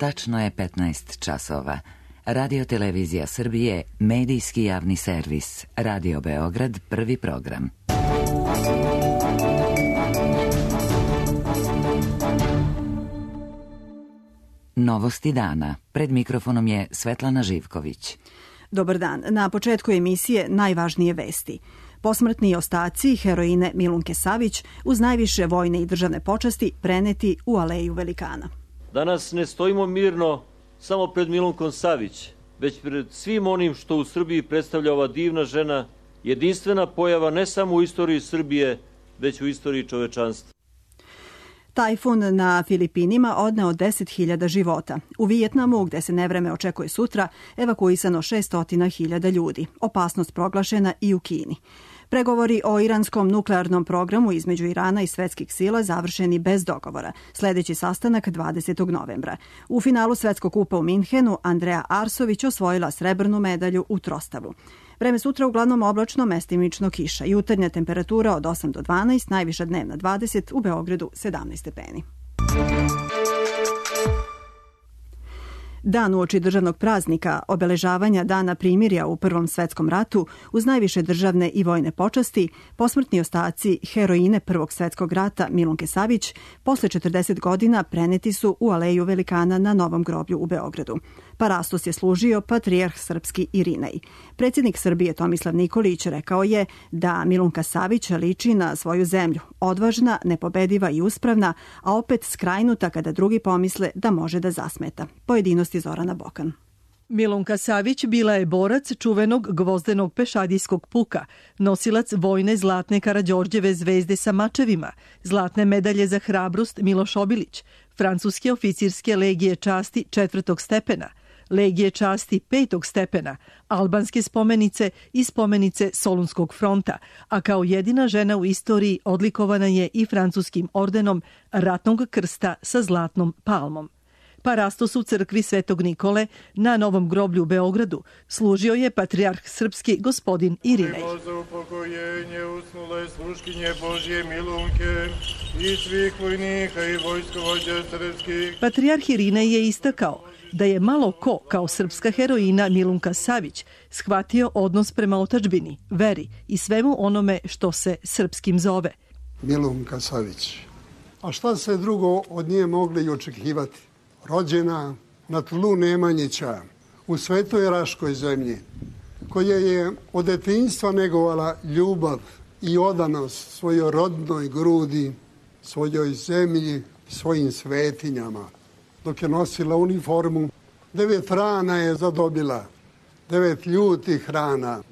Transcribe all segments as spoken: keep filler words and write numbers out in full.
tačno je petnaest časova. Radio Televizija Srbije, medijski javni servis. Radio Beograd, prvi program. Novosti dana. Pred mikrofonom je Svetlana Živković. Dobar dan. Na početku emisije najvažnije vesti. Posmrtni ostaci heroine Milunke Savić uz najviše vojne i državne počasti preneti u Aleju velikana. Danas ne stojimo mirno samo pred Milunkom Savić, već pred svim onim što u Srbiji predstavlja ova divna žena, jedinstvena pojava ne samo u istoriji Srbije, već u istoriji čovečanstva. Tajfun na Filipinima odneo deset hiljada života. U Vijetnamu, gde se nevreme očekuje sutra, evakuisano šesto hiljada ljudi. Opasnost proglašena i u Kini. Pregovori o iranskom nuklearnom programu između Irana i svetskih sila završeni bez dogovora. Sljedeći sastanak dvadesetog novembra. U finalu Svetskog kupa u Minhenu Andrea Arsović osvojila srebrnu medalju u trostavu. Vreme sutra uglavnom oblačno, mestimično kiša. Jutarnja temperatura od osam do dvanaest, najviša dnevna dvadeset, u Beogradu sedamnaest stepeni. Dan uoči državnog praznika, obeležavanja Dana primirja u Prvom svetskom ratu, uz najviše državne i vojne počasti, posmrtni ostaci heroine Prvog svetskog rata Milunke Savić posle četrdeset godina preneti su u Aleju velikana na Novom groblju u Beogradu. Parastos je služio patrijarh srpski Irinej. Predsjednik Srbije Tomislav Nikolić rekao je da Milunka Savić liči na svoju zemlju, odvažna, nepobediva i uspravna, a opet skrajnuta kada drugi pomisle da može da zasmeta. Pojedinosti Zorana Bokan. Milunka Savić bila je borac čuvenog gvozdenog pešadijskog puka, nosilac vojne zlatne Karađorđeve zvezde sa mačevima, zlatne medalje za hrabrost Miloš Obilić, francuske oficirske legije časti četvrtog stepena, legije časti petog stepena, albanske spomenice i spomenice Solunskog fronta, a kao jedina žena u istoriji odlikovana je i francuskim ordenom ratnog krsta sa zlatnom palmom. Parastos u crkvi Svetog Nikole na Novom groblju u Beogradu služio je patrijarh srpski gospodin Irinej. Za upokojenje usnule sluškinje Božje Milunke i svih vojnika i vojskovođa srpskih. Patrijarh Irinej je istakao da je malo ko kao srpska heroina Milunka Savić shvatio odnos prema otadžbini, veri i svemu onome što se srpskim zove. Milunka Savić. A šta se drugo od nje mogli i očekivati? Rođena na tlu Nemanjića, u svetoj Raškoj zemlji, koja je od detinjstva negovala ljubav i odanost svojoj rodnoj grudi, svojoj zemlji, svojim svetinjama. Dok je nosila uniformu, devet rana je zadobila, devet ljutih rana,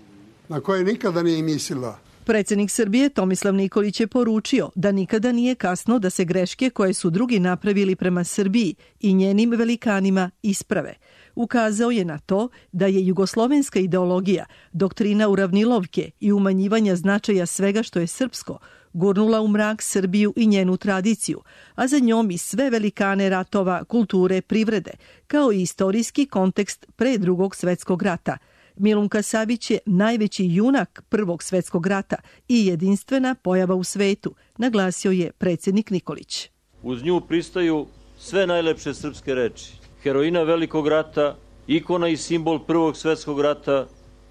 na koje nikada nije mislila. Predsjednik Srbije Tomislav Nikolić je poručio da nikada nije kasno da se greške koje su drugi napravili prema Srbiji i njenim velikanima isprave. Ukazao je na to da je jugoslovenska ideologija, doktrina uravnilovke i umanjivanja značaja svega što je srpsko, gurnula u mrak Srbiju i njenu tradiciju, a za njom i sve velikane ratova, kulture, privrede, kao i istorijski kontekst pre drugog svetskog rata. Milunka Savić je najveći junak Prvog svetskog rata i jedinstvena pojava u svetu, naglasio je predsjednik Nikolić. Uz nju pristaju sve najlepše srpske reči. Heroina Velikog rata, ikona i simbol Prvog svetskog rata,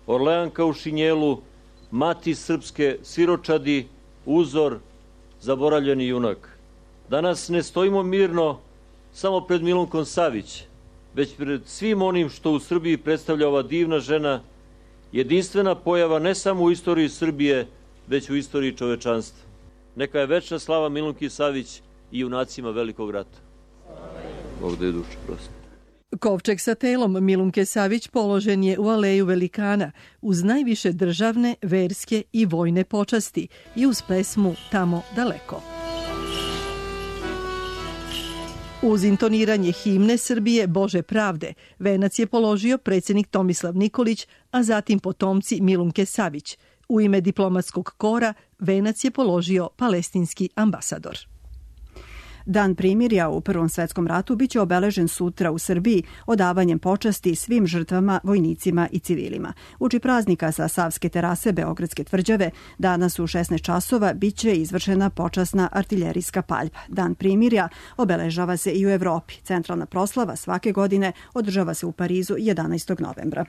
Orleanka u šinjelu, mati srpske siročadi, uzor, zaboravljeni junak. Danas ne stojimo mirno samo pred Milunkom Savić, već pred svim onim što u Srbiji predstavlja ova divna žena, jedinstvena pojava ne samo u istoriji Srbije, već u istoriji čovečanstva. Neka je večna slava Milunki Savić i junacima Velikog rata. Bog da je duša prosto. Kovčeg sa telom Milunke Savić položen je u Aleju velikana uz najviše državne, verske i vojne počasti i uz pesmu Tamo daleko. Uz intoniranje himne Srbije Bože pravde, venac je položio predsjednik Tomislav Nikolić, a zatim potomci Milunke Savić. U ime diplomatskog kora venac je položio palestinski ambasador. Dan primirja u Prvom svetskom ratu biće obeležen sutra u Srbiji odavanjem počasti svim žrtvama, vojnicima i civilima. Uoči praznika sa Savske terase Beogradske tvrđave danas u šesnaest časova biće izvršena počasna artiljerijska paljba. Dan primirja obeležava se i u Evropi. Centralna proslava svake godine održava se u Parizu jedanaestog novembra.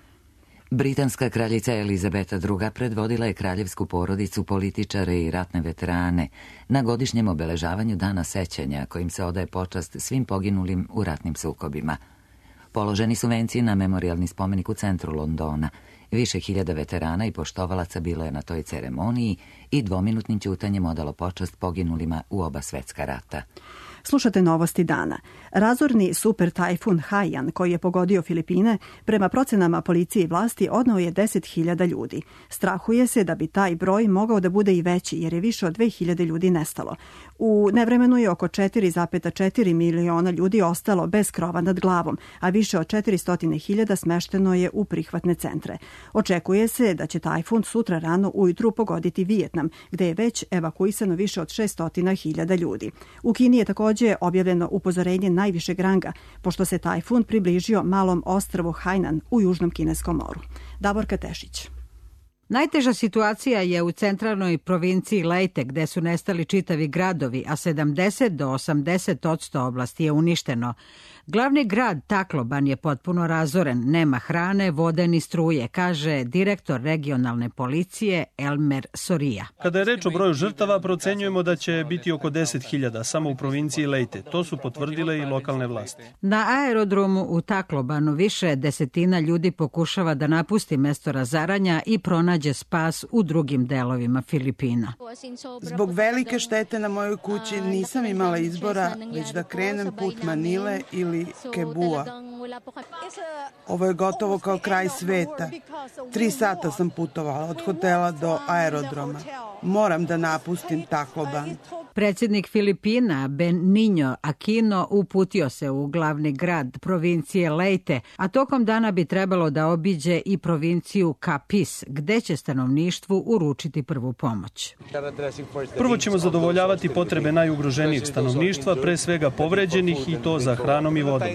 Britanska kraljica Elizabeta druga. predvodila je kraljevsku porodicu, političare i ratne veterane na godišnjem obeležavanju Dana sećanja kojim se odaje počast svim poginulim u ratnim sukobima. Položeni su venci na memorijalni spomenik u centru Londona. Više hiljada veterana i poštovalaca bilo je na toj ceremoniji i dvominutnim ćutanjem odalo počast poginulima u oba svetska rata. Slušate novosti dana. Razorni super tajfun Haiyan, koji je pogodio Filipine, prema procenama policije i vlasti odneo je deset hiljada ljudi. Strahuje se da bi taj broj mogao da bude i veći, jer je više od dve hiljade ljudi nestalo. U nevremenu je oko četiri zarez četiri miliona ljudi ostalo bez krova nad glavom, a više od četiristo hiljada smešteno je u prihvatne centre. Očekuje se da će tajfun sutra rano ujutru pogoditi Vijetnam, gde je već evakuisano više od šesto hiljada ljudi. U Kini je također je objavljeno upozorenje najvišeg ranga, pošto se tajfun približio malom ostrvu Hainan u južnom kineskom moru. Davorka Tešić. Najteža situacija je u centralnoj provinciji Leyte, gde su nestali čitavi gradovi, a sedamdeset do osamdeset posto oblasti je uništeno. Glavni grad Tacloban je potpuno razoren, nema hrane, vode ni struje, kaže direktor regionalne policije Elmer Soria. Kada je reč o broju žrtava, procenjujemo da će biti oko deset hiljada samo u provinciji Leyte. To su potvrdile i lokalne vlasti. Na aerodromu u Taclobanu više desetina ljudi pokušava da napusti mesto razaranja i pronađe spas u drugim delovima Filipina. Zbog velike štete na mojoj kući nisam imala izbora, već da krenem put Manile ili Kebua. Ovo je gotovo kao kraj sveta. Tri sata sam putovala od hotela do aerodroma. Moram da napustim Tacloban. Predsjednik Filipina Benigno Aquino uputio se u glavni grad provincije Leyte, a tokom dana bi trebalo da obiđe i provinciju Capiz, gde će stanovništvu uručiti prvu pomoć. Prvo ćemo zadovoljavati potrebe najugroženijeg stanovništva, pre svega povređenih, i to za hranom i vodom.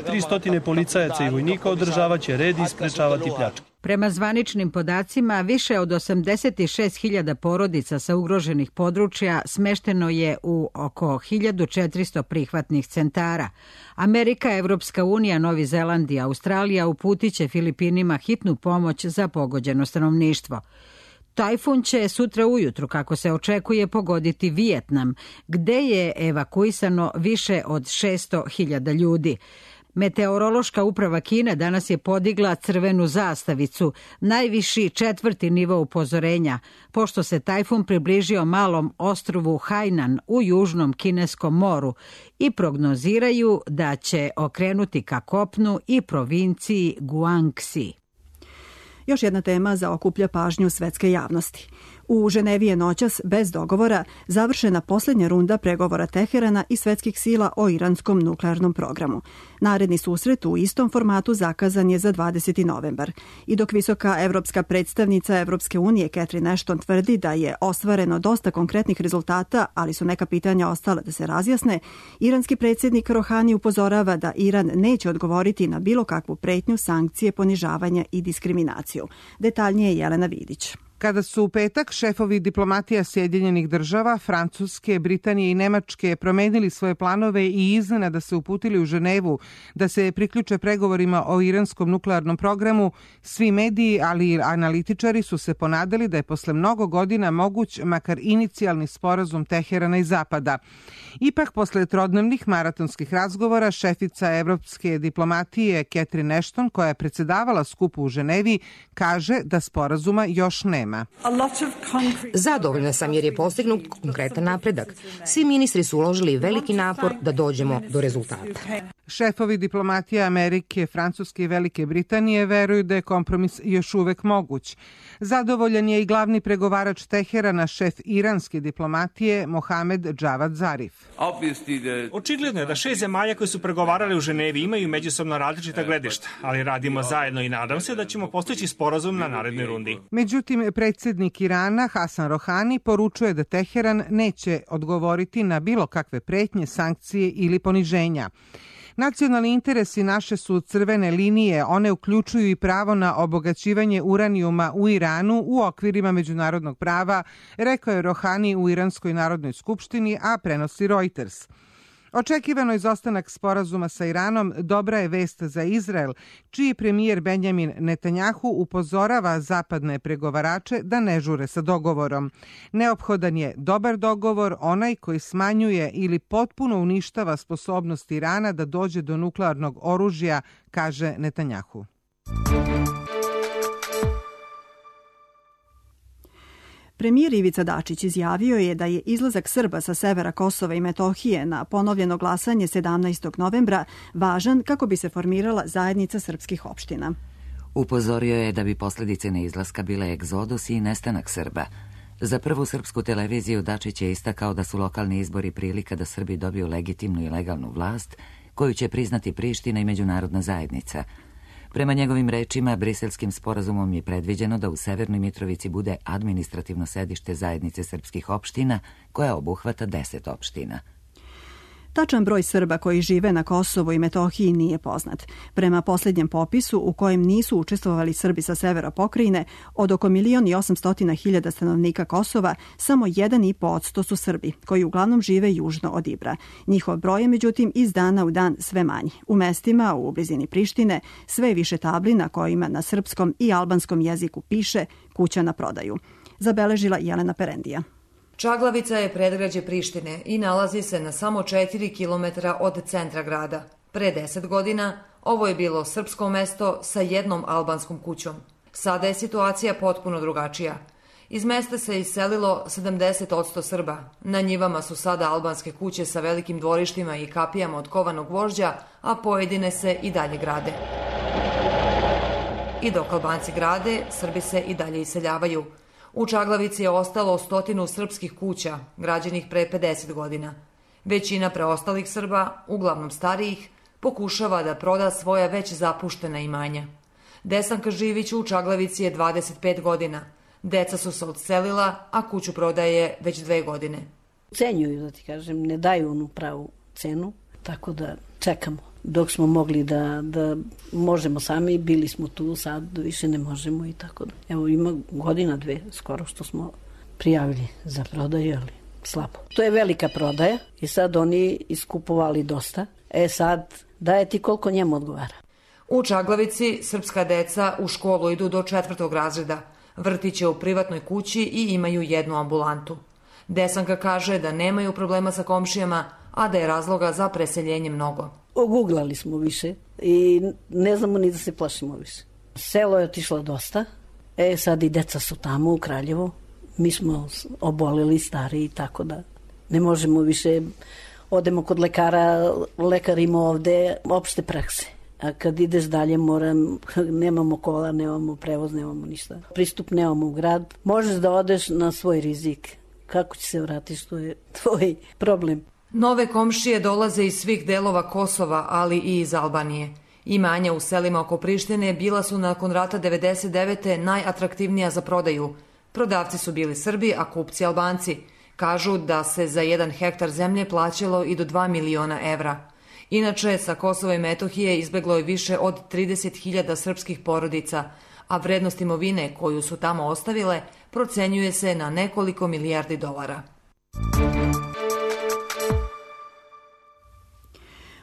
tristo policajaca i vojnika održavaće red i sprečavati pljačke. Prema zvaničnim podacima, više od osamdeset šest hiljada porodica sa ugroženih područja smešteno je u oko hiljadu četiristo prihvatnih centara. Amerika, Evropska unija, Novi Zeland i Australija uputiće Filipinima hitnu pomoć za pogođeno stanovništvo. Tajfun će sutra ujutru, kako se očekuje, pogoditi Vijetnam, gde je evakuisano više od šesto hiljada ljudi. Meteorološka uprava Kine danas je podigla crvenu zastavicu, najviši četvrti nivo upozorenja, pošto se tajfun približio malom ostrvu Hainan u južnom kineskom moru i prognoziraju da će okrenuti ka kopnu i provinciji Guangxi. Još jedna tema zaokuplja pažnju svetske javnosti. U Ženevi je noćas, bez dogovora, završena posljednja runda pregovora Teherana i svetskih sila o iranskom nuklearnom programu. Naredni susret u istom formatu zakazan je za dvadeseti novembar. I dok visoka evropska predstavnica Evropske unije Catherine Ashton tvrdi da je ostvareno dosta konkretnih rezultata, ali su neka pitanja ostala da se razjasne, iranski predsjednik Rohani upozorava da Iran neće odgovoriti na bilo kakvu pretnju, sankcije, ponižavanja i diskriminaciju. Detaljnije Jelena Vidić. Kada su u petak šefovi diplomatija Sjedinjenih država, Francuske, Britanije i Nemačke promenili svoje planove i iznenada se uputili u Ženevu da se priključe pregovorima o iranskom nuklearnom programu, svi mediji, ali i analitičari su se ponadali da je posle mnogo godina moguć makar inicijalni sporazum Teherana i Zapada. Ipak, posle trodnevnih maratonskih razgovora, šefica evropske diplomatije Catherine Ashton, koja je predsedavala skupu u Ženevi, kaže da sporazuma još nema. Zadovoljna sam jer je postignut konkretan napredak. Svi ministri su uložili veliki napor da dođemo do rezultata. Šefovi diplomatije Amerike, Francuske i Velike Britanije veruju da je kompromis još uvek moguć. Zadovoljan je i glavni pregovarač Teherana, šef iranske diplomatije Mohamed Džavad Zarif. Očigledno je da šest zemalja koji su pregovarali u Ženevi imaju međusobno različita gledišta, ali radimo zajedno i nadam se da ćemo postići sporazum na narednoj rundi. Međutim, predsjednik Irana Hasan Rohani poručuje da Teheran neće odgovoriti na bilo kakve pretnje, sankcije ili poniženja. Nacionalni interesi naše su crvene linije, one uključuju i pravo na obogaćivanje uranijuma u Iranu u okvirima međunarodnog prava, rekao je Rohani u Iranskoj narodnoj skupštini, a prenosi Reuters. Očekivano izostanak sporazuma sa Iranom dobra je vest za Izrael, čiji premijer Benjamin Netanjahu upozorava zapadne pregovarače da ne žure sa dogovorom. Neophodan je dobar dogovor, onaj koji smanjuje ili potpuno uništava sposobnost Irana da dođe do nuklearnog oružja, kaže Netanjahu. Premijer Ivica Dačić izjavio je da je izlazak Srba sa severa Kosova i Metohije na ponovljeno glasanje sedamnaestog novembra važan kako bi se formirala zajednica srpskih opština. Upozorio je da bi posljedice neizlaska bile egzodus i nestanak Srba. Za prvu srpsku televiziju Dačić je istakao da su lokalni izbori prilika da Srbi dobiju legitimnu i legalnu vlast koju će priznati Priština i međunarodna zajednica. Prema njegovim rečima, Briselskim sporazumom je predviđeno da u Severnoj Mitrovici bude administrativno sedište zajednice srpskih opština, koja obuhvata deset opština. Tačan broj Srba koji žive na Kosovu i Metohiji nije poznat. Prema posljednjem popisu, u kojem nisu učestvovali Srbi sa severa pokrajine, od oko milion i osamstotina hiljada stanovnika Kosova, samo jedan i po odsto su Srbi, koji uglavnom žive južno od Ibra. Njihov broj je, međutim, iz dana u dan sve manji. U mestima, u blizini Prištine, sve je više tabli na kojima na srpskom i albanskom jeziku piše kuća na prodaju. Zabeležila Jelena Perendija. Čaglavica je predgrađe Prištine i nalazi se na samo četiri kilometra od centra grada. Pre deset godina ovo je bilo srpsko mesto sa jednom albanskom kućom. Sada je situacija potpuno drugačija. Iz mesta se iselilo sedamdeset odsto Srba. Na njivama su sada albanske kuće sa velikim dvorištima i kapijama od kovanog gvožđa, a pojedine se i dalje grade. I dok Albanci grade, Srbi se i dalje iseljavaju. U Čaglavici je ostalo stotinu srpskih kuća, građenih pre pedeset godina. Većina preostalih Srba, uglavnom starijih, pokušava da proda svoja već zapuštena imanja. Desanka Živić u Čaglavici je dvadeset pet godina. Deca su se odselila, a kuću prodaje već dve godine. Cenjuju, da ti kažem, ne daju onu pravu cenu, tako da čekamo. Dok smo mogli da, da možemo sami, bili smo tu, sad više ne možemo i tako da. Evo ima godina dve skoro što smo prijavili za prodaju, ali slabo. To je velika prodaja i sad oni iskupovali dosta. E sad, daje ti koliko njemu odgovara. U Čaglavici srpska deca u školu idu do četvrtog razreda. Vrtiće u privatnoj kući i imaju jednu ambulantu. Desanka kaže da nemaju problema sa komšijama, a da je razloga za preseljenje mnogo. Oguglali smo više i ne znamo ni da se plašimo više. Selo je otišlo dosta, e sad i deca su tamo u Kraljevu. Mi smo oboleli, stari, tako da ne možemo više. Odemo kod lekara, lekar ima ovde opšte prakse. A kad ideš dalje, moram, nemamo kola, nemamo prevoz, nemamo ništa. Pristup nemamo u grad. Možeš da odeš na svoj rizik. Kako će se vratiš, to je tvoj problem. Nove komšije dolaze iz svih delova Kosova, ali i iz Albanije. Imanja u selima oko Prištine bila su nakon rata devedeset devete najatraktivnija za prodaju. Prodavci su bili Srbi, a kupci Albanci. Kažu da se za jedan hektar zemlje plaćalo i do dva miliona evra. Inače, sa Kosova i Metohije izbeglo je više od trideset hiljada srpskih porodica, a vrednost imovine koju su tamo ostavile procenjuje se na nekoliko milijardi dolara.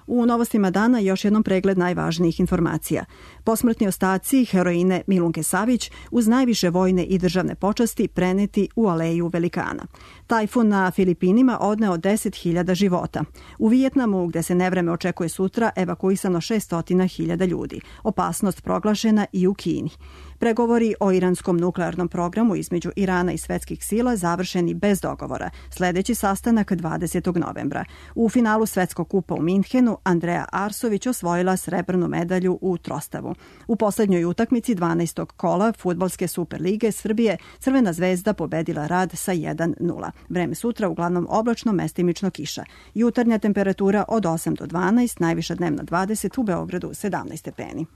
U novostima dana još jednom pregled najvažnijih informacija. Posmrtni ostaci heroine Milunke Savić uz najviše vojne i državne počasti preneti u Aleju velikana. Tajfun na Filipinima odneo deset hiljada života. U Vijetnamu, gde se nevreme očekuje sutra, evakuisano šessto hiljada ljudi. Opasnost proglašena i u Kini. Pregovori o iranskom nuklearnom programu između Irana i svetskih sila završeni bez dogovora. Sledeći sastanak dvadesetog novembra. U finalu Svetskog kupa u Minhenu Andreja Arsović osvojila srebrnu medalju u trostavu. U poslednjoj utakmici dvanaestog kola fudbalske Superlige Srbije Crvena zvezda pobedila Rad sa jedan nula. Vreme sutra uglavnom oblačno, mestimično kiša. Jutarnja temperatura od osam do dvanaest, najviša dnevna dvadeset, u Beogradu sedamnaest stepeni.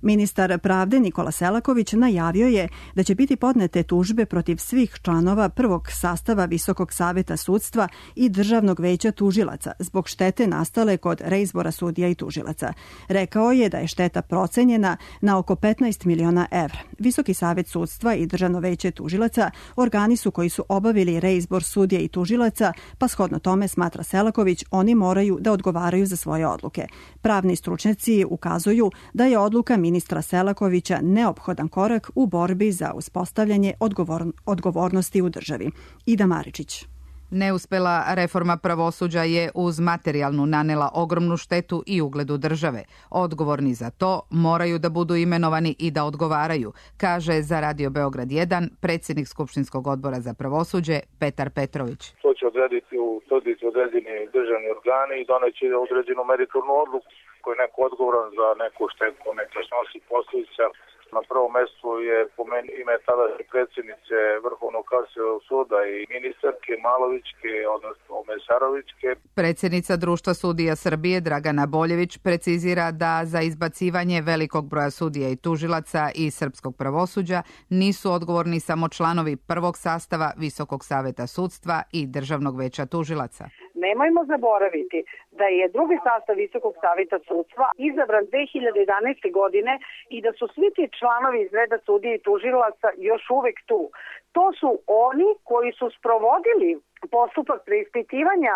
Ministar pravde Nikola Selaković najavio je da će biti podnete tužbe protiv svih članova prvog sastava Visokog saveta sudstva i Državnog veća tužilaca zbog štete nastale kod reizbora sudija i tužilaca. Rekao je da je šteta procenjena na oko petnaest miliona evra. Visoki savet sudstva i Državno veće tužilaca organi su koji su obavili reizbor sudija i tužilaca, pa shodno tome, smatra Selaković, oni moraju da odgovaraju za svoje odluke. Pravni stručnjaci ukazuju da je odluka ministra Selakovića neophodan korak u borbi za uspostavljanje odgovor, odgovornosti u državi. Ida Maričić. Neuspela reforma pravosuđa je uz materijalnu nanela ogromnu štetu i ugledu države. Odgovorni za to moraju da budu imenovani i da odgovaraju, kaže za Radio Beograd jedan predsjednik Skupštinskog odbora za pravosuđe Petar Petrović. To će odrediti u utvrditi određeni državni organi i doneće određenu meritornu odluku. Ko je neko odgovoran za neku štetu, neka snosi posljedica. Na prvom mjestu je po meni ime tadašnje predsjednice Vrhovnog kasacionog suda i ministarke Malovićke, odnosno Mesarovićke. Predsjednica Društva sudija Srbije Dragana Boljević precizira da za izbacivanje velikog broja sudija i tužilaca i srpskog pravosuđa nisu odgovorni samo članovi prvog sastava Visokog saveta sudstva i Državnog veća tužilaca. Nemojmo zaboraviti da je drugi sastav Visokog saveta sudstva izabran dve hiljade jedanaeste. godine i da su svi ti članovi iz reda sudija i tužilaca još uvek tu. To su oni koji su sprovodili postupak preispitivanja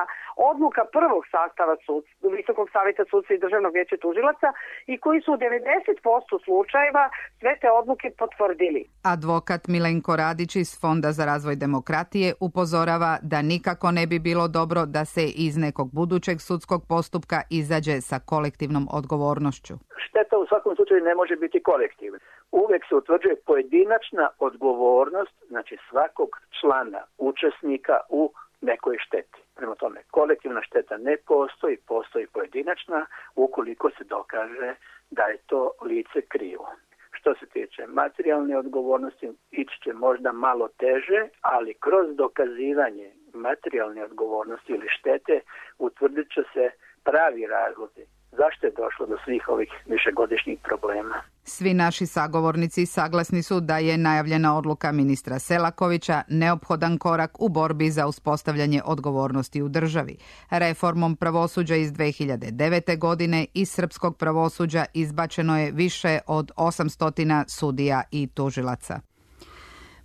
odluka prvog sastava sudstva, Visokog saveta sudstva i Državnog veća tužilaca i koji su u devedeset posto slučajeva sve te odluke potvrdili. Advokat Milenko Radić iz Fonda za razvoj demokratije upozorava da nikako ne bi bilo dobro da se iz nekog budućeg sudskog postupka izađe sa kolektivnom odgovornošću. Šteta u svakom slučaju ne može biti kolektivna. Uvek se utvrđuje pojedinačna odgovornost, znači svakog člana, učesnika u nekoj šteti. Prema tome, kolektivna šteta ne postoji, postoji pojedinačna ukoliko se dokaže da je to lice krivo. Što se tiče materijalne odgovornosti, ići će možda malo teže, ali kroz dokazivanje materijalne odgovornosti ili štete utvrdit će se pravi razlozi zašto je došlo do svih ovih višegodišnjih problema. Svi naši sagovornici saglasni su da je najavljena odluka ministra Selakovića neophodan korak u borbi za uspostavljanje odgovornosti u državi. Reformom pravosuđa iz dve hiljade devete. godine iz srpskog pravosuđa izbačeno je više od osamsto sudija i tužilaca.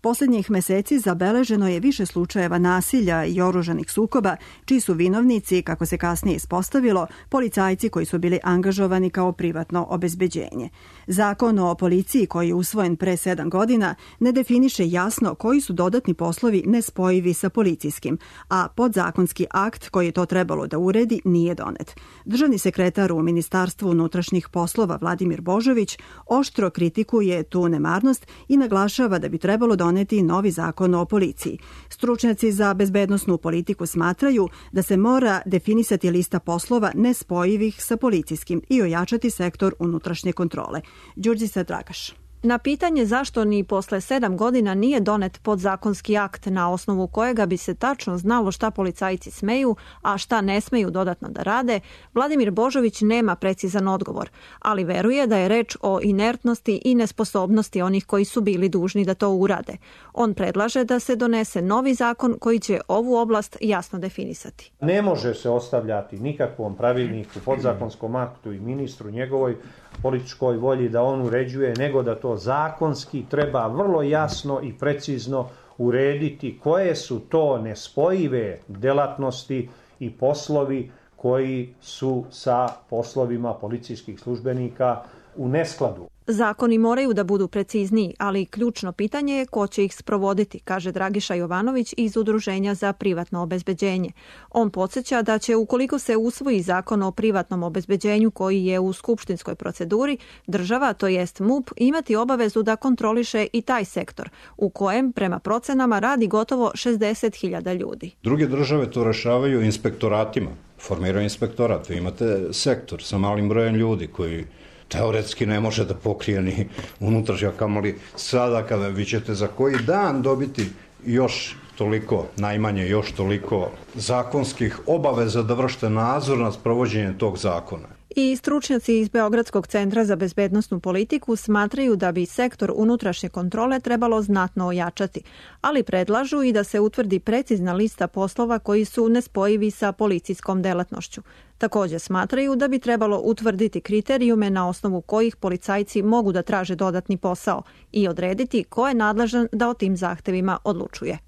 Poslednjih meseci zabeleženo je više slučajeva nasilja i oružanih sukoba, čiji su vinovnici, kako se kasnije ispostavilo, policajci koji su bili angažovani kao privatno obezbeđenje. Zakon o policiji, koji je usvojen pre sedam godina, ne definiše jasno koji su dodatni poslovi nespojivi sa policijskim, a podzakonski akt koji je to trebalo da uredi nije donet. Državni sekretar u Ministarstvu unutrašnjih poslova Vladimir Božović oštro kritikuje tu nemarnost i naglašava da bi trebalo doneti novi zakon o policiji. Stručnjaci za bezbednosnu politiku smatraju da se mora definisati lista poslova nespojivih sa policijskim i ojačati sektor unutrašnje kontrole. Đurđica Dragaš. Na pitanje zašto ni posle sedam godina nije donet podzakonski akt na osnovu kojega bi se tačno znalo šta policajci smeju, a šta ne smeju dodatno da rade, Vladimir Božović nema precizan odgovor, ali veruje da je reč o inertnosti i nesposobnosti onih koji su bili dužni da to urade. On predlaže da se donese novi zakon koji će ovu oblast jasno definisati. Ne može se ostavljati nikakvom pravilniku, podzakonskom aktu i ministru njegovoj političkoj volji da on uređuje, nego da to zakonski treba vrlo jasno i precizno urediti koje su to nespojive delatnosti i poslovi koji su sa poslovima policijskih službenika u neskladu. Zakoni moraju da budu precizniji, ali ključno pitanje je ko će ih sprovoditi, kaže Dragiša Jovanović iz Udruženja za privatno obezbeđenje. On podsjeća da će, ukoliko se usvoji zakon o privatnom obezbeđenju koji je u skupštinskoj proceduri, država, to jest M U P, imati obavezu da kontroliše i taj sektor, u kojem, prema procenama, radi gotovo šezdeset hiljada ljudi. Druge države to rešavaju inspektoratima, formiraju inspektorat. Vi imate sektor sa malim brojem ljudi koji teoretski ne može da pokrije ni unutrašnja, kamoli sada kada vi ćete za koji dan dobiti još toliko, najmanje još toliko zakonskih obaveza da vršite nadzor nad sprovođenjem tog zakona. I stručnjaci iz Beogradskog centra za bezbednosnu politiku smatraju da bi sektor unutrašnje kontrole trebalo znatno ojačati, ali predlažu i da se utvrdi precizna lista poslova koji su nespojivi sa policijskom delatnošću. Također smatraju da bi trebalo utvrditi kriterijume na osnovu kojih policajci mogu da traže dodatni posao i odrediti ko je nadležan da o tim zahtevima odlučuje.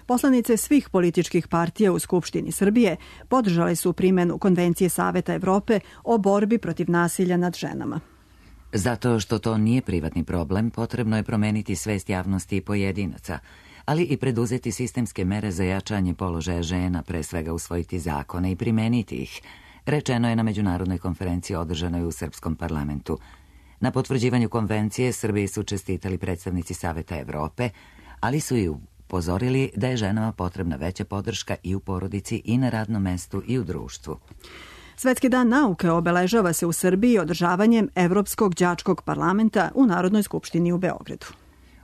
Poslanice svih političkih partija u Skupštini Srbije podržale su primjenu Konvencije Saveta Evrope o borbi protiv nasilja nad ženama. Zato što to nije privatni problem, potrebno je promeniti svest javnosti i pojedinaca, ali i preduzeti sistemske mere za jačanje položaja žena, pre svega usvojiti zakone i primeniti ih, rečeno je na međunarodnoj konferenciji održanoj u Srpskom parlamentu. Na potvrđivanju konvencije Srbiji su čestitali predstavnici Saveta Evrope, ali su i upozorili da je ženama potrebna veća podrška i u porodici i na radnom mestu i u društvu. Svetski dan nauke obeležava se u Srbiji održavanjem Evropskog đačkog parlamenta u Narodnoj skupštini u Beogradu.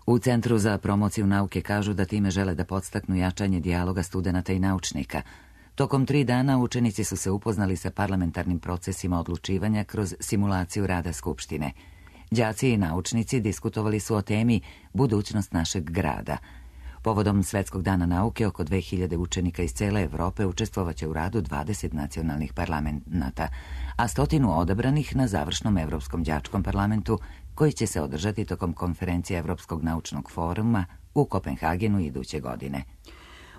U Centru za promociju nauke kažu da time žele da podstaknu jačanje dijaloga studenata i naučnika. Tokom tri dana učenici su se upoznali sa parlamentarnim procesima odlučivanja kroz simulaciju rada Skupštine. Đaci i naučnici diskutovali su o temi budućnost našeg grada. Povodom Svetskog dana nauke oko dve hiljade učenika iz cele Evrope učestvovaće u radu dvadeset nacionalnih parlamenta, a stotinu odabranih na završnom Evropskom đačkom parlamentu koji će se održati tokom konferencije Evropskog naučnog foruma u Kopenhagenu iduće godine.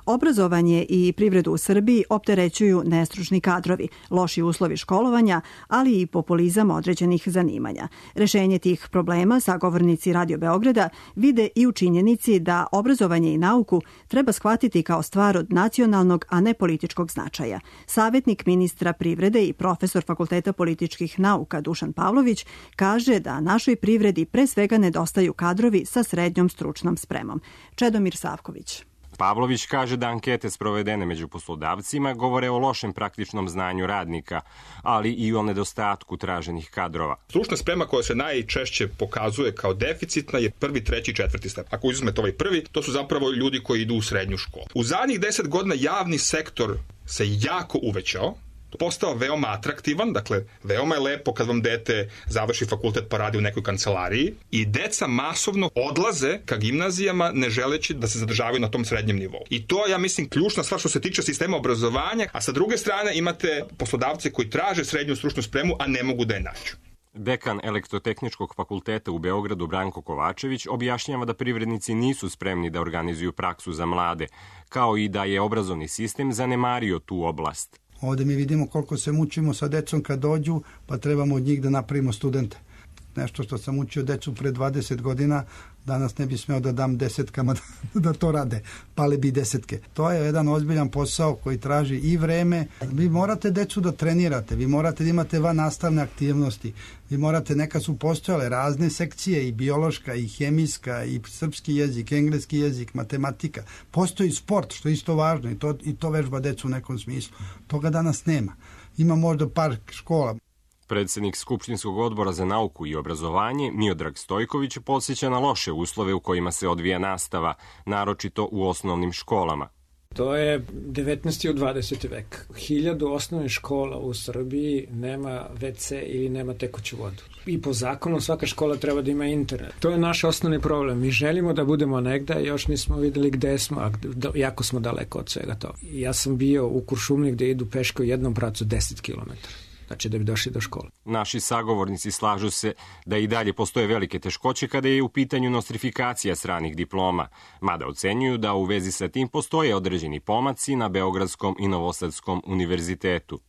Obrazovanje i privredu u Srbiji opterećuju nestručni kadrovi, loši uslovi školovanja, ali i populizam određenih zanimanja. Rešenje tih problema sagovornici Radio Beograda vide i u činjenici da obrazovanje i nauku treba shvatiti kao stvar od nacionalnog, a ne političkog značaja. Savetnik ministra privrede i profesor Fakulteta političkih nauka Dušan Pavlović kaže da našoj privredi pre svega nedostaju kadrovi sa srednjom stručnom spremom. Čedomir Savković. Pavlović kaže da ankete sprovedene među poslodavcima govore o lošem praktičnom znanju radnika, ali i o nedostatku traženih kadrova. Stručna sprema koja se najčešće pokazuje kao deficitna je prvi, treći, četvrti stepen. Ako uzmete ovaj prvi, to su zapravo ljudi koji idu u srednju školu. U zadnjih deset godina javni sektor se jako uvećao, postao veoma atraktivan, dakle, veoma je lepo kad vam dete završi fakultet pa radi u nekoj kancelariji i deca masovno odlaze ka gimnazijama ne želeći da se zadržavaju na tom srednjem nivou. I to je, ja mislim, ključna stvar što se tiče sistema obrazovanja, a sa druge strane imate poslodavce koji traže srednju stručnu spremu, a ne mogu da je nađu. Dekan Elektrotehničkog fakulteta u Beogradu Branko Kovačević objašnjava da privrednici nisu spremni da organizuju praksu za mlade, kao i da je obrazovni sistem zanemario tu oblast. Ovde mi vidimo koliko se mučimo sa decom kad dođu, pa trebamo od njih da napravimo studente. Nešto što sam učio decu pre dvadeset godina, danas ne bi smeo da dam desetkama da, da to rade, pale bi desetke. To je jedan ozbiljan posao koji traži i vreme. Vi morate decu da trenirate, vi morate da imate van nastavne aktivnosti, vi morate, neka su postojale razne sekcije, i biološka, i hemijska, i srpski jezik, engleski jezik, matematika. Postoji sport, što je isto važno, i to, i to vežba decu u nekom smislu. Toga danas nema. Ima možda par škola. Predsednik Skupštinskog odbora za nauku i obrazovanje Miodrag Stojković podsjeća na loše uslove u kojima se odvija nastava, naročito u osnovnim školama. To je devetnaesti i dvadeseti vek. Hiljadu osnovnih škola u Srbiji nema ve ce ili nema tekuću vodu. I po zakonu svaka škola treba da ima internet. To je naš osnovni problem. Mi želimo da budemo negde, još nismo videli gde smo, a jako smo daleko od svega toga. Ja sam bio u Kuršumliji gde idu peške u jednom pracu deset kilometara. Znači da bi došli do škole. Naši sagovornici slažu se da i dalje postoje velike teškoće kada je u pitanju nostrifikacija stranih diploma, mada ocenjuju da u vezi sa tim postoje određeni pomaci na Beogradskom i Novosadskom univerzitetu.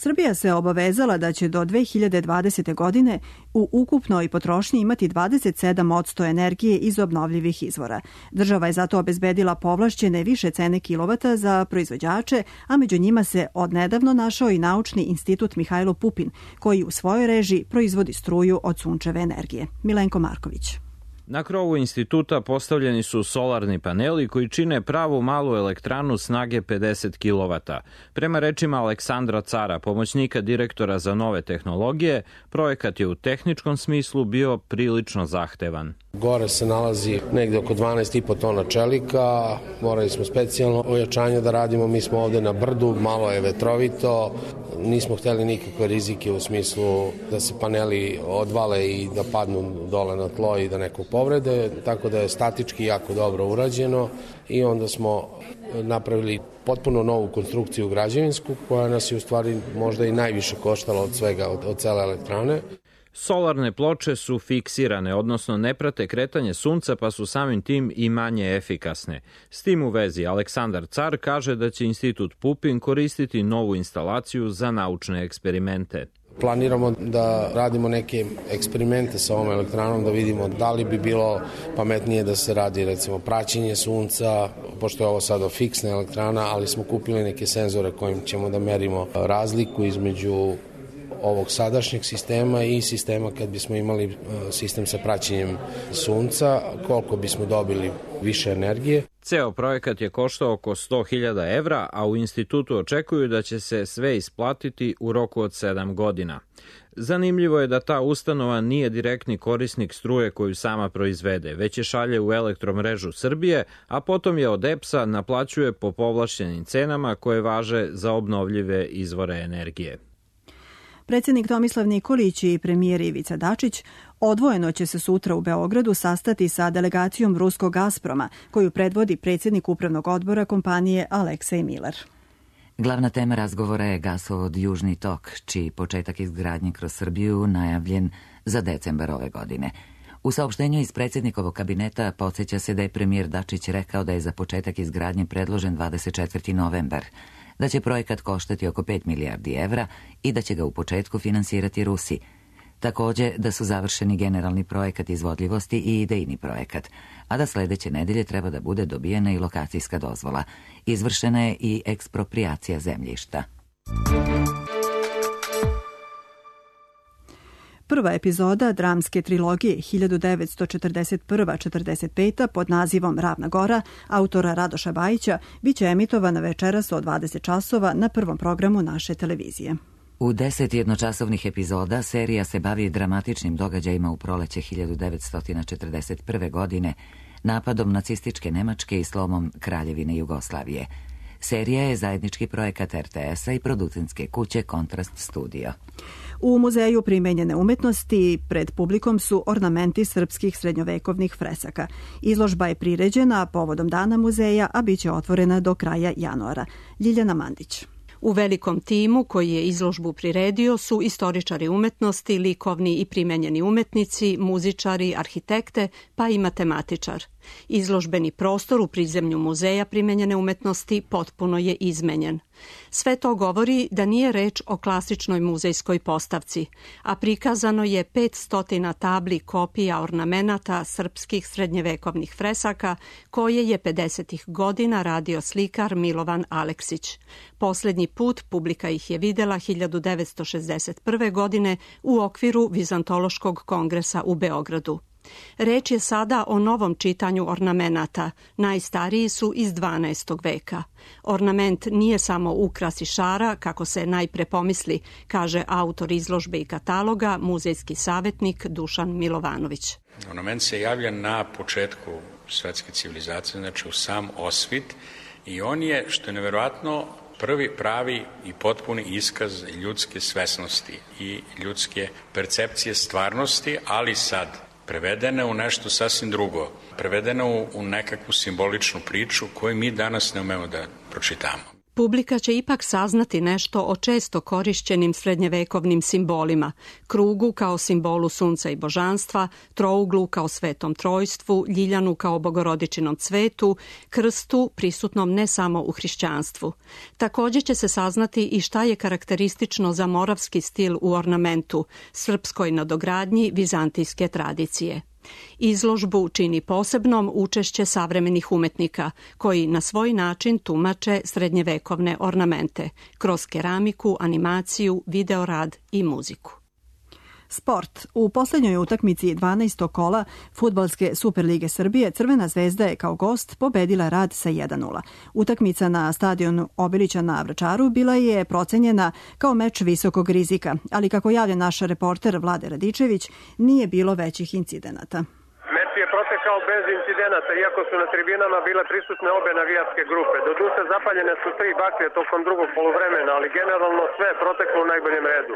Srbija se obavezala da će do dve hiljade dvadesete. godine u ukupnoj potrošnji imati dvadeset sedam posto energije iz obnovljivih izvora. Država je zato obezbedila povlašćene više cene kilovata za proizvođače, a među njima se odnedavno našao i Naučni institut Mihajlo Pupin, koji u svojoj režiji proizvodi struju od sunčeve energije. Milenko Marković. Na krovu instituta postavljeni su solarni paneli koji čine pravu malu elektranu snage pedeset kilovata. Prema rečima Aleksandra Cara, pomoćnika direktora za nove tehnologije, projekat je u tehničkom smislu bio prilično zahtevan. Gore se nalazi negde oko dvanaest i po tona čelika, morali smo specijalno ojačanje da radimo, mi smo ovde na brdu, malo je vetrovito, nismo hteli nikakve rizike u smislu da se paneli odvale i da padnu dole na tlo i da neko povrede, tako da je statički jako dobro urađeno i onda smo napravili potpuno novu konstrukciju građevinsku koja nas je u stvari možda i najviše koštala od svega, od, od cele elektrane. Solarne ploče su fiksirane, odnosno ne prate kretanje sunca pa su samim tim i manje efikasne. S tim u vezi Aleksandar Car kaže da će Institut Pupin koristiti novu instalaciju za naučne eksperimente. Planiramo da radimo neke eksperimente sa ovom elektranom, da vidimo da li bi bilo pametnije da se radi recimo praćenje sunca, pošto je ovo sada fiksna elektrana, ali smo kupili neke senzore kojim ćemo da merimo razliku između ovog sadašnjeg sistema i sistema kad bismo imali sistem sa praćenjem sunca, koliko bismo dobili više energije. Ceo projekat je koštao oko sto hiljada evra, a u institutu očekuju da će se sve isplatiti u roku od sedam godina. Zanimljivo je da ta ustanova nije direktni korisnik struje koju sama proizvede, već je šalje u Elektromrežu Srbije, a potom je od E P S-a naplaćuje po povlašćenim cenama koje važe za obnovljive izvore energije. Predsjednik Tomislav Nikolić i premijer Ivica Dačić odvojeno će se sutra u Beogradu sastati sa delegacijom ruskog Gazproma, koju predvodi predsjednik upravnog odbora kompanije Aleksej Miler. Glavna tema razgovora je gasovod Južni tok, čiji početak izgradnje kroz Srbiju najavljen za decembar ove godine. U saopštenju iz predsjednikovog kabineta podsjeća se da je premijer Dačić rekao da je za početak izgradnje predložen dvadeset četvrti novembar, da će projekat koštati oko pet milijardi evra i da će ga u početku finansirati Rusi. Također da su završeni generalni projekat izvodljivosti i idejni projekat, a da sledeće nedelje treba da bude dobijena i lokacijska dozvola. Izvršena je i ekspropriacija zemljišta. Prva epizoda dramske trilogije hiljadu devetsto četrdeset prva do četrdeset peta pod nazivom Ravna gora autora Radoša Bajića biće emitovana večeras od dvadeset časova na prvom programu naše televizije. U deset jednočasovnih epizoda serija se bavi dramatičnim događajima u proleće hiljadu devetsto četrdeset prve. godine, napadom nacističke Nemačke i slomom Kraljevine Jugoslavije. Serija je zajednički projekat R T S-a i producentske kuće Kontrast Studio. U Muzeju primenjene umetnosti pred publikom su ornamenti srpskih srednjovekovnih fresaka. Izložba je priređena povodom Dana muzeja, a bit će otvorena do kraja januara. Ljiljana Mandić. U velikom timu koji je izložbu priredio su istoričari umetnosti, likovni i primenjeni umetnici, muzičari, arhitekte, pa i matematičar. Izložbeni prostor u prizemlju Muzeja primenjene umetnosti potpuno je izmenjen. Sve to govori da nije reč o klasičnoj muzejskoj postavci, a prikazano je petsto tabli kopija ornamenata srpskih srednjevekovnih fresaka koje je pedesetih godina radio slikar Milovan Aleksić. Poslednji put publika ih je videla hiljadu devetsto šezdeset prve. godine u okviru Vizantološkog kongresa u Beogradu. Reč je sada o novom čitanju ornamenata, najstariji su iz dvanaestog veka. Ornament nije samo ukras i šara, kako se najpre pomisli, kaže autor izložbe i kataloga, muzejski savjetnik Dušan Milovanović. Ornament se javlja na početku svetske civilizacije, znači u sam osvit, i on je, što je neverovatno, prvi pravi i potpuni iskaz ljudske svesnosti i ljudske percepcije stvarnosti, ali sad prevedena u nešto sasvim drugo, prevedena u, u nekakvu simboličnu priču koju mi danas ne umemo da pročitamo. Publika će ipak saznati nešto o često korišćenim srednjevekovnim simbolima, krugu kao simbolu sunca i božanstva, trouglu kao svetom trojstvu, ljiljanu kao bogorodičinom cvetu, krstu prisutnom ne samo u hrišćanstvu. Također će se saznati i šta je karakteristično za moravski stil u ornamentu, srpskoj nadogradnji vizantijske tradicije. Izložbu čini posebnom učešće savremenih umetnika koji na svoj način tumače srednjevekovne ornamente kroz keramiku, animaciju, videorad i muziku. Sport. U posljednjoj utakmici dvanaestog kola Fudbalske Superlige Srbije Crvena zvezda je kao gost pobedila Rad sa jedan nula. Utakmica na stadionu Obilića na Vračaru bila je procenjena kao meč visokog rizika, ali kako javlja naš reporter Vlade Radičević, nije bilo većih incidenata. Meč je protekao bez incidenata, iako su na tribinama bile prisutne obe navijačke grupe. Doduše zapaljene su tri baklje tokom drugog poluvremena, ali generalno sve je proteklo u najboljem redu.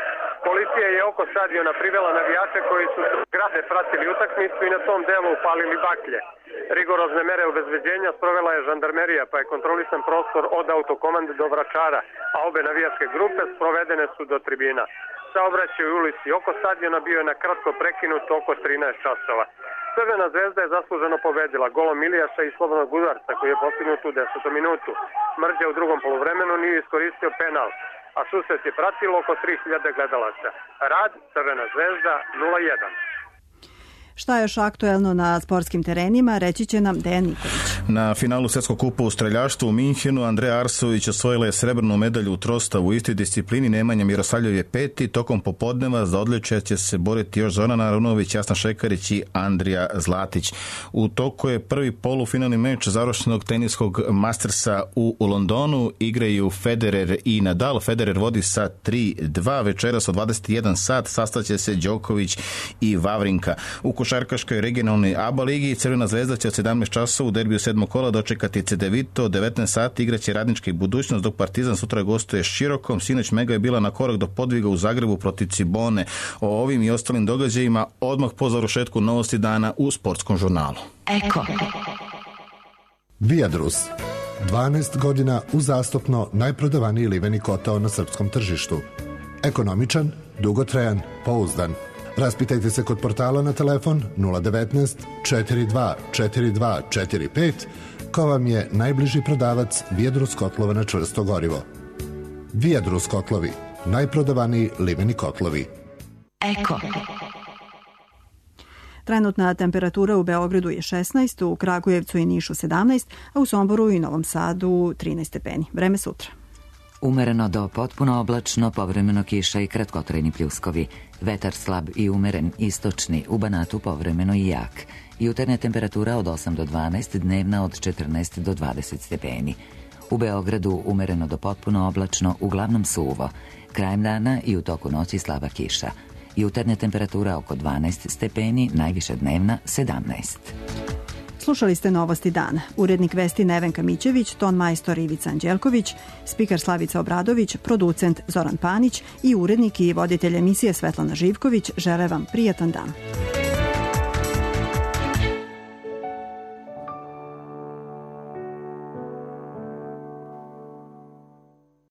Policija je oko stadiona privela navijače koji su s zgrade pratili utakmicu i na tom delu upalili baklje. Rigorozne mere obezbeđenja sprovela je žandarmerija, pa je kontrolisan prostor od autokomande do Vračara, a obe navijačke grupe sprovedene su do tribina. Saobraćaj u ulici oko stadiona bio je na kratko prekinut oko trinaest časova. Crvena zvezda je zasluženo pobedila golom Ilijaša i slobodnog udarca koji je postignut u desetom minutu. Mrđa u drugom poluvremenu nije iskoristio penal, a susret je pratilo oko tri hiljade gledalaca. Rad, Crvena zvezda nula jedan. Šta je još aktuelno na sportskim terenima, reći će nam Dejan Nikolić. Na finalu svjetskog kupa u streljaštvu u Minhenu Andreja Arsović osvojila je srebrnu medalju u trostavu u istoj disciplini, Nemanja Mirosavljev je peti, tokom popodneva za odličje će se boriti još Zorana Arunović, Jasna Šekarić i Andrija Zlatić. U toku je prvi polufinalni meč završenog teniskog Mastersa u, u Londonu, igraju Federer i Nadal. Federer vodi sa tri dva, večeras od dvadeset jedan sat sastaće se Đoković i Vavrinka. U košarkaškoj regionalnoj A B A ligi Crvena zvezda će od sedamnaest časova u derbiju sedmog kola dočekati Cedevito, devetnaest sati igraće Radnička i Budućnost, dok Partizan sutra gostuje s Širokom. Sinoć Mega je bila na korak do podviga u Zagrebu protiv Cibone. O ovim i ostalim događajima odmah po završetku Novosti dana u sportskom žurnalu. Eko. Viadrus. dvanaest godina uzastopno najprodavaniji liveni kotao na srpskom tržištu. Ekonomičan, dugotrajan, pouzdan. Raspitajte se kod portala na telefon nula devetnaest četrdeset dva četrdeset dva četrdeset pet ko vam je najbliži prodavac Viadrus kotlova na čvrsto gorivo. Viadrus kotlovi, najprodavaniji liveni kotlovi. Eko. Trenutna temperatura u Beogradu je šesnaest, u Kragujevcu i Nišu sedamnaest, a u Somboru i Novom Sadu trinaest stepeni. Vreme sutra. Umereno do potpuno oblačno, povremeno kiša i kratkotrajni pljuskovi. Vetar slab i umeren, istočni, u Banatu povremeno i jak. Jutarnja temperatura od osam do dvanaest, dnevna od četrnaest do dvadeset stepeni. U Beogradu umereno do potpuno oblačno, uglavnom suvo. Krajem dana i u toku noći slaba kiša. Jutarnja temperatura oko dvanaest stepeni, najviša dnevna sedamnaest. Slušali ste Novosti dana. Urednik vesti Nevenka Mićević, ton majstor Ivica Anđelković, spiker Slavica Obradović, producent Zoran Panić i urednik i voditelj emisije Svetlana Živković žele vam prijatan dan.